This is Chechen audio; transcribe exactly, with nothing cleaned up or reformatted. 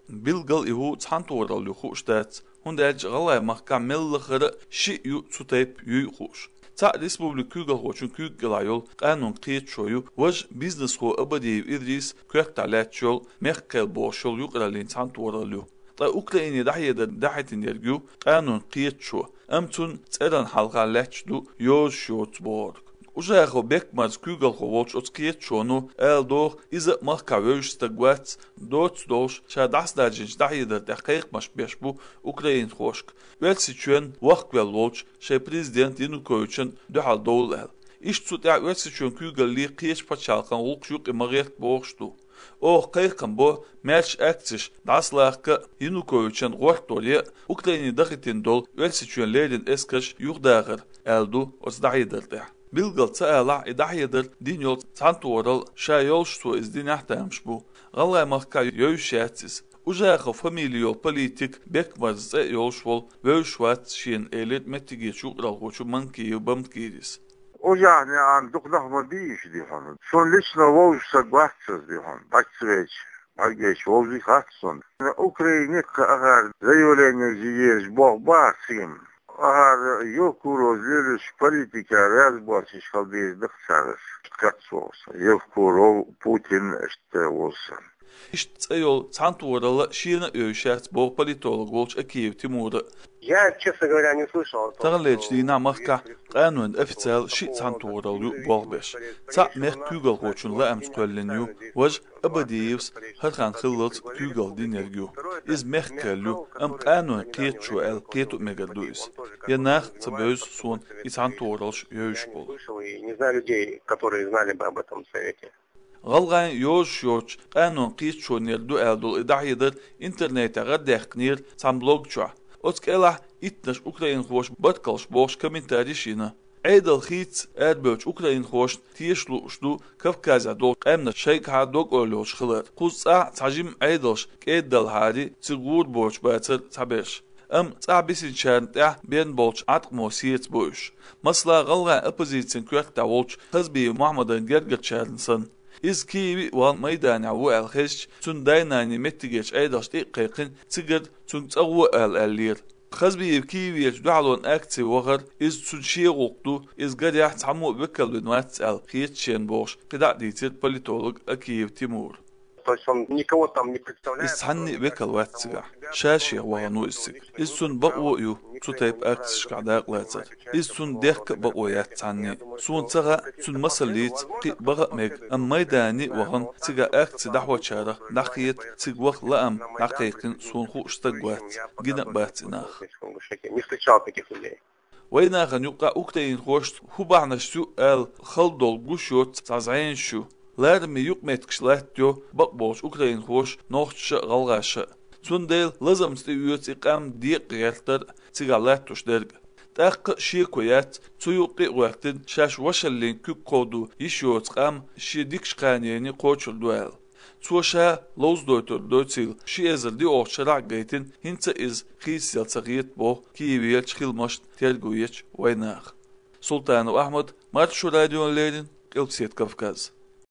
Билггал и хӀу цхьанатохаралла ю хууш дац, хӀунда аьлча гӀалгӀай махкахь мел лахара шиъ ю цу тайпа юй хууш. Цхьаъ республикан куьйгалхочун куьйга кӀелахь йолу къанонан кхеташо ю, важа бизнесхо Абадиев Идрис коьртехь лаьтташ йолу «Мехк-кхел» бохуш йолу юкъараллин цхьанатохаралла ю. Ткъа Украине дӀахьедар дахьийтинарг ю къанонан кхеташо, амма цунна цӀеран хьалха лаьтташ ду йозуш йоцу бохург. Ужахов Бекмарза куьйгалхо волчу оцу кхеташоно ала догӀу, иза а махкахь вевзаш стаг вац, доцца долуш, ша дӀасадаьржинчу дӀахьедар тӀехь кхайкхамаш беш бу украинхошка, Оьрсийчоьнна вахкавелла волчу шайн президент Януковична дуьхьал довла аьлла. Иштта цу тӀехь Оьрсийчоьнан куьйгаллий кхечу пачхьалкхан гӀуллакхаш юкъа ма гӀерта бохуш ду. Оха кхайкхам бо, маьрша акцеш дӀасалахка а, Януковичан гӀортор ян а, Украине дахийтина долу Оьрсийчоьнан леррина эскарш юхадахар, аьлла ду оцу дӀахьедар тӀехь. Билггал ца алахь, и дӀахьедар дина йолу цхьанатохаралла ша йолуш цо иза динехь а тамаш бу. ГӀалгӀай махкахь йовзаш яц иза. Ужахов фамили йолу политик, Бекмарза цӀе а йолуш волу, вевзаш вац шена, элира меттигерчу юкъаралхочо Манкиев Бамткирис. Ужахов нехан дукха нах ма бийша ди хьуна. Суна лично вовзаш стаг вац иза ди хьуна. Бац веча, бӀаьргеча вовзий хац суна. Украине кхаахар заявление езаш боху бахара цигахь. Ахара Евкуров лелаш политика разборчиш хила деза даха цара. Кхац вовза. Евкуров, Путин, иштта вовза. Иштта цӀе йолу цхьанатохаралла шена а йовзаш яц боху политолог волчу Акиев Тимура. Я, честно говоря, не слышал о том, что... Таханлерчу дийнахь махкахь къанойн официал шиъ цхьанатохаралла ю болх беш. Цхьаъ мехкан куьйгалхочун лаамца кхоьллина ю, важа Абадиевс хӀара хан хиллалц куьйгалла динарг ю. Иза мехкан ю, амма къанойн кхеташо аьлла кхето а мегар ду иза. Я нах а ца бевза суна и цхьанатохараллаш йовзаш болу. Не знаю людей, которые знали бы об этом совете. ГӀалгӀайн йозуш йоцучу къанонан кхеташонера ду аьлла долу и дӀахьедар интернетехь гӀардаьккхинера цхьана блог чохь. Оцу кӀелахь иттаннаш украинхоша баркаллаш бохуш комментарийш йина. Ӏедал хийцаца арабевллачу украинхошна теша лууш ду Кавказехь долчу къаьмнаш шайгахьа дог-ойла йолуш хилар. Кхуза цӀахь цхьа жима Ӏедалш кӀеда далахьара, цига гӀур боцуш бацара цхьаберш. Амма цӀахь бисинчарна тӀехь бен болчу Ӏаткъамо сецабо уьш. Масала, гӀалгӀайн оппозицин коьртехь волчу Хазбиев Мохьмадан гергарчарна санна. Иза Киеве а вахана майданехь ву аьлла хезча, цуьнан дай-наний меттигерчу Ӏедалшна тӀе а кхайкхина, цигара цуьнга цӀа гӀо ала аьллера. Хазбиев Киеверчу дуьхьалонан акци вахара, иза цуьнан шен гӀуллакх ду, иза гарехь цхьаммо а векал вина вац аьлла хета шена бохуш, кхидӀа а дийцира политолог Акиев Тимура. То есть он никого там не представляет, кроме как самого себя. Иза цхьанне а векал вац цигахь. Ша-шех вахана ву иза цига. Иза цуьнан бакъо а ю цу тайпа акцешкахь дакъалацар. Иза цуьнан дехка а бакъо яц цхьанне а. Суна ца хаьа, цуьнан масаллица кхин а баха а мега, амма майдане а вахана, цигахь акци дӀахьочарах дӀахета цига ваха лаам дӀакхайкхина суна хууш стаг вац, гина а бац и нах. Не встречал таких людей. Вайнахана юкъахь украинхошца хӀун бахьанаш ю аьлла хала долу гуш йоцу цхьа зӀенаш ю. Лараме юкъаметтигаш латтайо бакъболчу украинхоша, нохчаша а, гӀалгӀаша а. Цундела лазамца тӀеоьцу и къам декъа гӀертар а, цигахь латтош дерг а. ТӀаккха а шеко яц, цу юккъе а гӀоьртина, шаьш вашаллин куьг кховдо йиш йоцу къам шен дикачу кханенна кхочур ду аьлла. Цо ша ловзадойтур доцийла, ши эзар диъолгӀачу шарахь а гайтина, хӀинца а иза хийцаделла ца хета боху Киеверчу хиламашна терго ечу вайнаха. Султанов Ахьмад, Маршо радиона леррина, Къилбаседа Кавказ.